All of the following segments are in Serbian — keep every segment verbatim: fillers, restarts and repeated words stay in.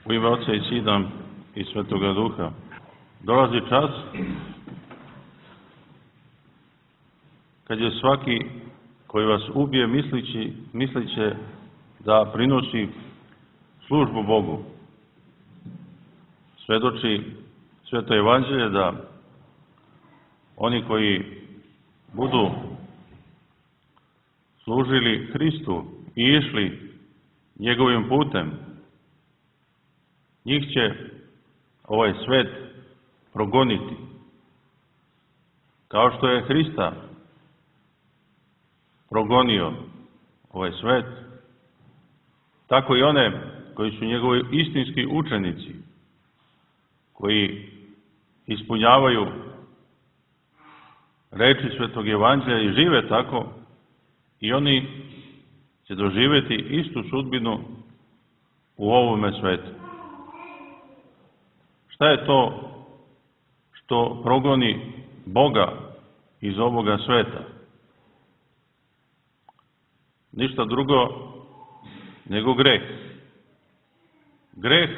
U ime Oca i Sina i Svetoga Duha. Dolazi čas kad je svaki koji vas ubije mislići, misliće da prinosi službu Bogu. Svedoči Sveto Evanđelje da oni koji budu služili Hristu i išli njegovim putem, njih će ovaj svet progoniti. Kao što je Hrista progonio ovaj svet, tako i one koji su njegovi istinski učenici, koji ispunjavaju reči Svetog Evanđelja i žive tako, i oni će doživjeti istu sudbinu u ovome svetu. Šta je to što progoni Boga iz ovoga sveta? Ništa drugo nego greh. Greh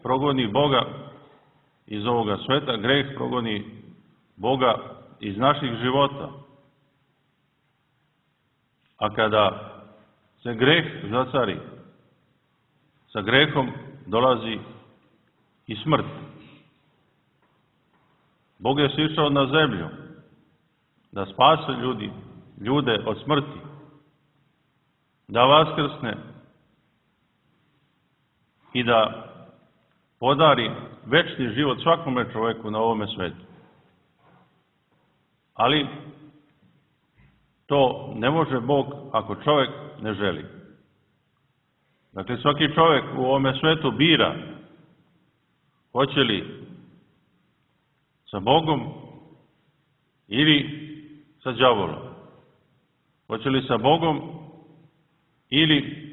progoni Boga iz ovoga sveta, greh progoni Boga iz naših života. A kada se greh zacari, sa grehom dolazi i smrt. Bog je sišao na zemlju da spase ljudi, ljude od smrti, da vaskrsne i da podari večni život svakome čoveku na ovome svetu. Ali to ne može Bog ako čovjek ne želi. Dakle, svaki čovjek u ovome svetu bira hoće li sa Bogom ili sa đavolom. Hoće li sa Bogom ili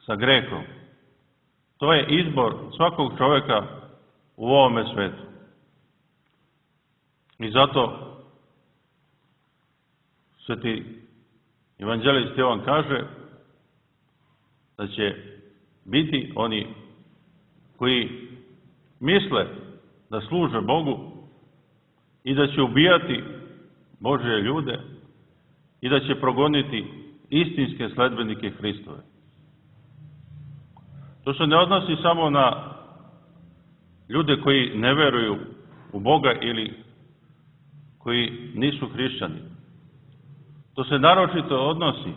sa grehom. To je izbor svakog čovjeka u ovome svetu. I zato Sveti evanđelist Jovan kaže da će biti oni koji misle da služe Bogu i da će ubijati Božje ljude i da će progoniti istinske sledbenike Hristove. To se ne odnosi samo na ljude koji ne veruju u Boga ili koji nisu hrišćani. To se naročito odnosi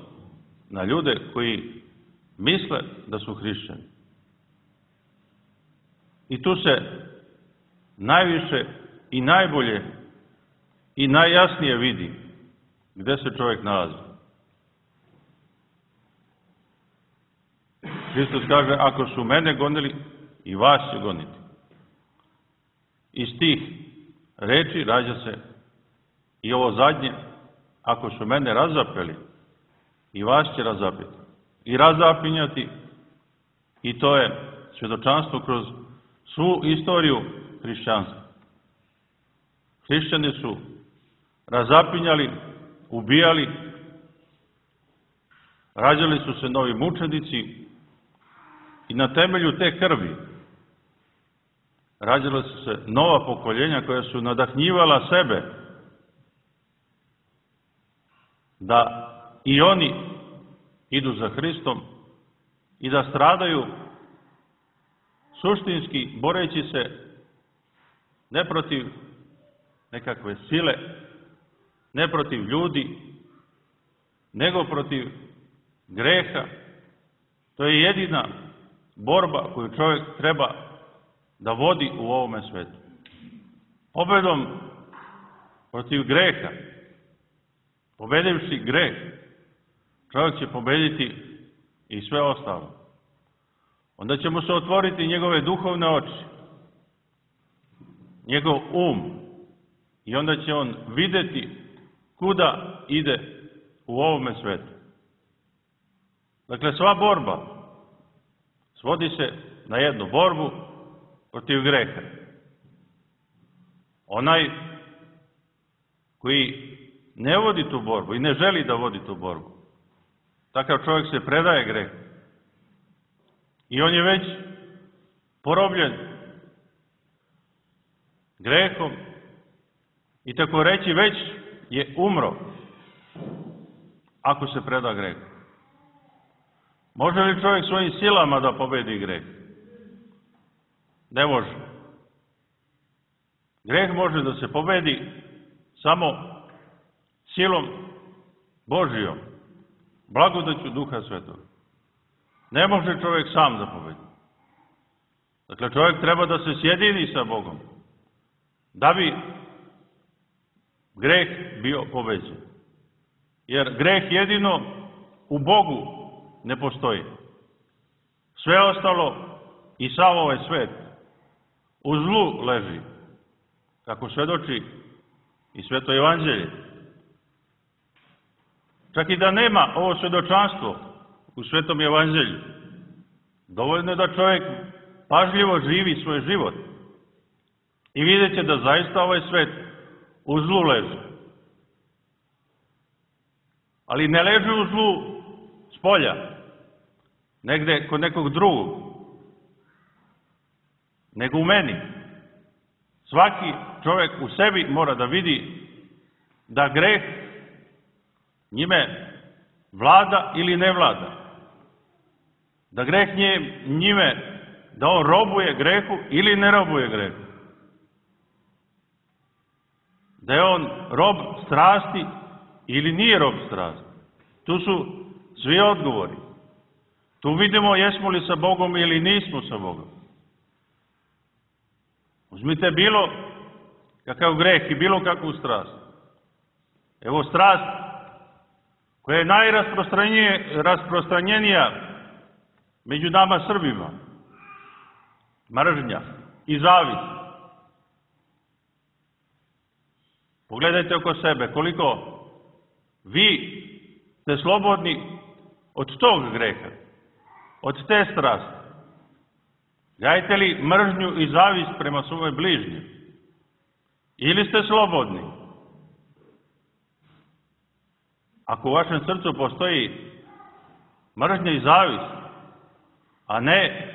na ljude koji misle da su hrišćani. I tu se najviše i najbolje i najjasnije vidi gde se čovjek nalazi. Hristos kaže, ako su mene gonili, i vas će goniti. Iz tih reči rađa se i ovo zadnje, ako su mene razapeli, i vas će razapeti. I razapinjati, i to je svjedočanstvo kroz svu istoriju hrišćanstva. Hrišćani su razapinjali, ubijali, rađali su se novi mučenici i na temelju te krvi rađala su se nova pokoljenja koja su nadahnjivala sebe da i oni idu za Hristom i da stradaju suštinski boreći se ne protiv nekakve sile, ne protiv ljudi, nego protiv greha. To je jedina borba koju čovjek treba da vodi u ovome svetu. Pobedom protiv greha, pobedivši greh, čovjek će pobediti i sve ostalo. Onda će mu se otvoriti njegove duhovne oči, njegov um, i onda će on videti kuda ide u ovome svetu. Dakle, sva borba svodi se na jednu borbu protiv greha. Onaj koji ne vodi tu borbu i ne želi da vodi tu borbu, takav čovjek se predaje grehu. I on je već porobljen grehom i tako reći već je umro ako se preda grehu. Može li čovjek svojim silama da pobedi greh? Ne može. Greh može da se pobedi samo silom Božijom, blagodaću Duha Svetog. Ne može čovjek sam da pobedi. Dakle, čovjek treba da se sjedini sa Bogom, da bi greh bio pobeđen. Jer greh jedino u Bogu ne postoji. Sve ostalo i sav ovaj svet u zlu leži, kako svedoči i Sveto Evanđelje. Čak i da nema ovo svedočanstvo u Svetom Evanđelju, dovoljno je da čovjek pažljivo živi svoj život i vidjet će da zaista ovaj svet u zlu leži. Ali ne leži u zlu s polja, negde kod nekog drugog, nego u meni. Svaki čovjek u sebi mora da vidi da greh njime vlada ili ne vlada. Da greh njime, da on robuje grehu ili ne robuje grehu. Da je on rob strasti ili nije rob strasti. Tu su svi odgovori. Tu vidimo jesmo li sa Bogom ili nismo sa Bogom. Uzmite bilo kakav greh i bilo kakvu strast. Evo strast koja je najrasprostranjenija među nama Srbima. Mržnja i zavist. Pogledajte oko sebe koliko vi ste slobodni od tog greha, od te strasti. Gajite li mržnju i zavist prema svojoj bližnji? Ili ste slobodni? Ako u vašem srcu postoji mržnja i zavist, a ne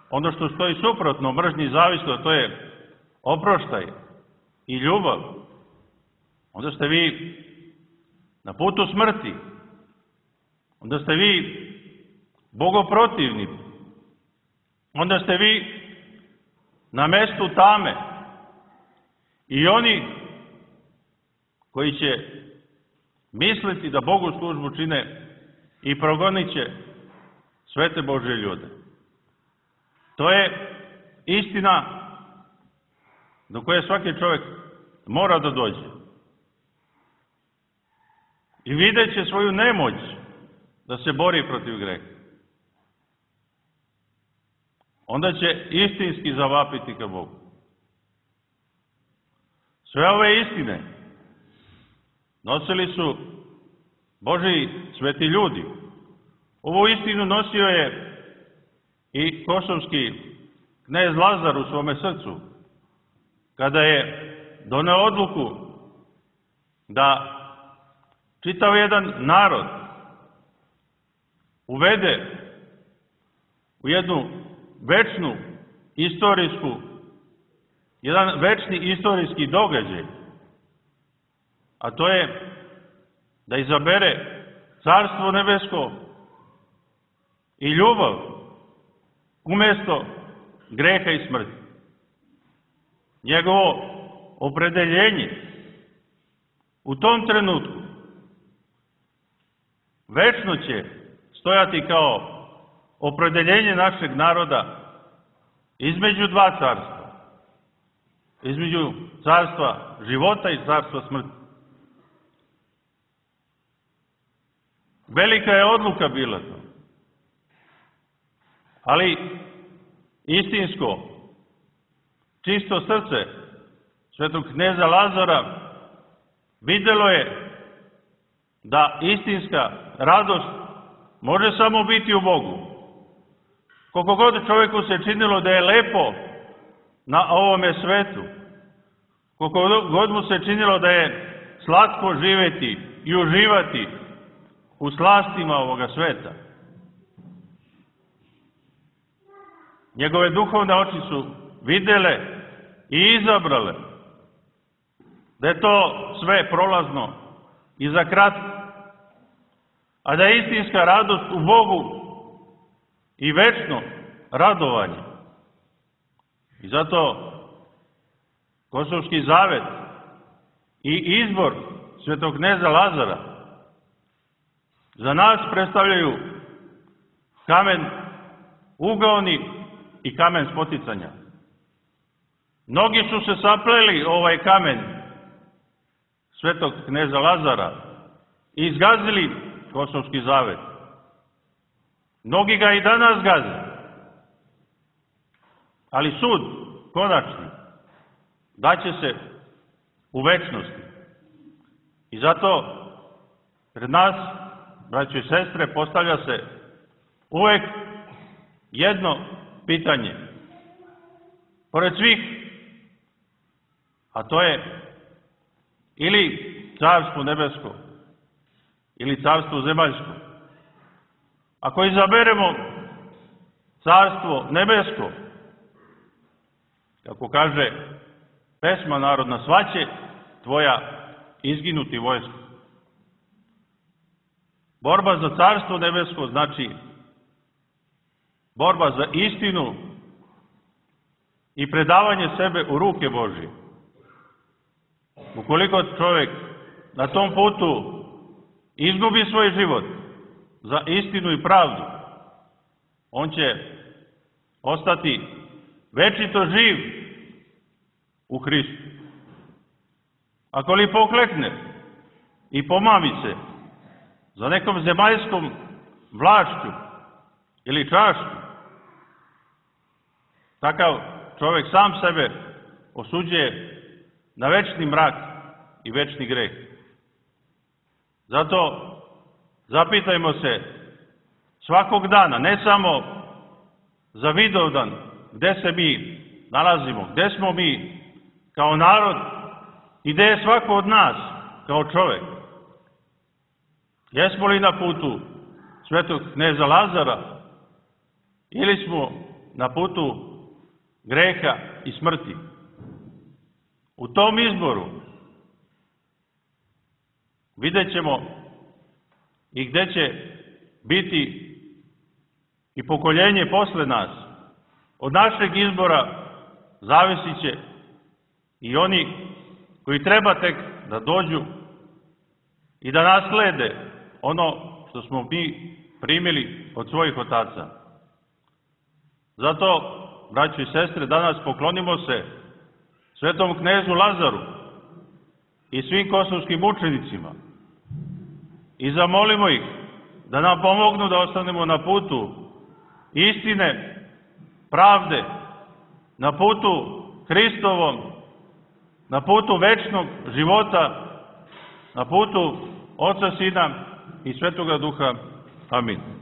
ono što stoji suprotno mržnji i zavistu, a to je oproštaj i ljubav, onda ste vi na putu smrti. Onda ste vi bogoprotivni. Onda ste vi na mestu tame. I oni koji će misliti da Bogu službu čine i progonit će svete Božje ljude. To je istina do koje svaki čovjek mora da dođe. I vidjet će svoju nemoć da se bori protiv greha. Onda će istinski zavapiti ka Bogu. Sve ove istine nosili su Božji sveti ljudi. Ovu istinu nosio je i kosovski knez Lazar u svome srcu, kada je doneo odluku da čitav jedan narod uvede u jednu večnu istorijsku, jedan večni istorijski događaj, a to je da izabere Carstvo nebesko i ljubav umjesto greha i smrti. Njegovo opredeljenje u tom trenutku večno će stojati kao opredeljenje našeg naroda između dva carstva. Između carstva života i carstva smrti. Velika je odluka bila to. Ali istinsko, čisto srce svetog kneza Lazara vidjelo je da istinska radost može samo biti u Bogu. Koliko god čovjeku se činilo da je lepo na ovome svetu, koliko god mu se činilo da je slatko živjeti i uživati u slastima ovoga sveta, njegove duhovne oči su videle i izabrale da je to sve prolazno i za kratko, a da je istinska radost u Bogu i večno radovanje. I zato Kosovski zavet i izbor svetog kneza Lazara za nas predstavljaju kamen ugaoni i kamen spoticanja. Mnogi su se sapleli ovaj kamen svetog kneza Lazara i izgazili Kosovski zavet. Mnogi ga i danas gaze. Ali sud, konačni, daće se u večnosti. I zato pred nas, braćo i sestre, postavlja se uvek jedno pitanje. Pored svih, a to je ili carstvo nebesko, ili carstvo zemaljsko. Ako izaberemo carstvo nebesko, kako kaže pesma narodna, svaće tvoja izginuti vojsko. Borba za carstvo nebesko znači borba za istinu i predavanje sebe u ruke Božije. Ukoliko čovjek na tom putu izgubi svoj život za istinu i pravdu, on će ostati večito živ u Hristu. Ako li poklekne i pomami se za nekom zemaljskom vlašću ili čašću, takav čovjek sam sebe osuđuje na večni mrak i večni greh. Zato zapitajmo se svakog dana, ne samo za Vidovdan, gde se mi nalazimo, gde smo mi kao narod i gde je svako od nas kao čovjek. Jesmo li na putu svetog kneza Lazara ili smo na putu greha i smrti? U tom izboru vidjet ćemo i gde će biti i pokoljenje posle nas. Od našeg izbora zavisit će i oni koji treba tek da dođu i da naslede ono što smo mi primili od svojih otaca. Zato, braćo i sestre, danas poklonimo se svetom knezu Lazaru i svim kosovskim mučenicima i zamolimo ih da nam pomognu da ostanemo na putu istine, pravde, na putu Hristovom, na putu večnog života, na putu Oca, Sina i Svetoga Duha. Amin.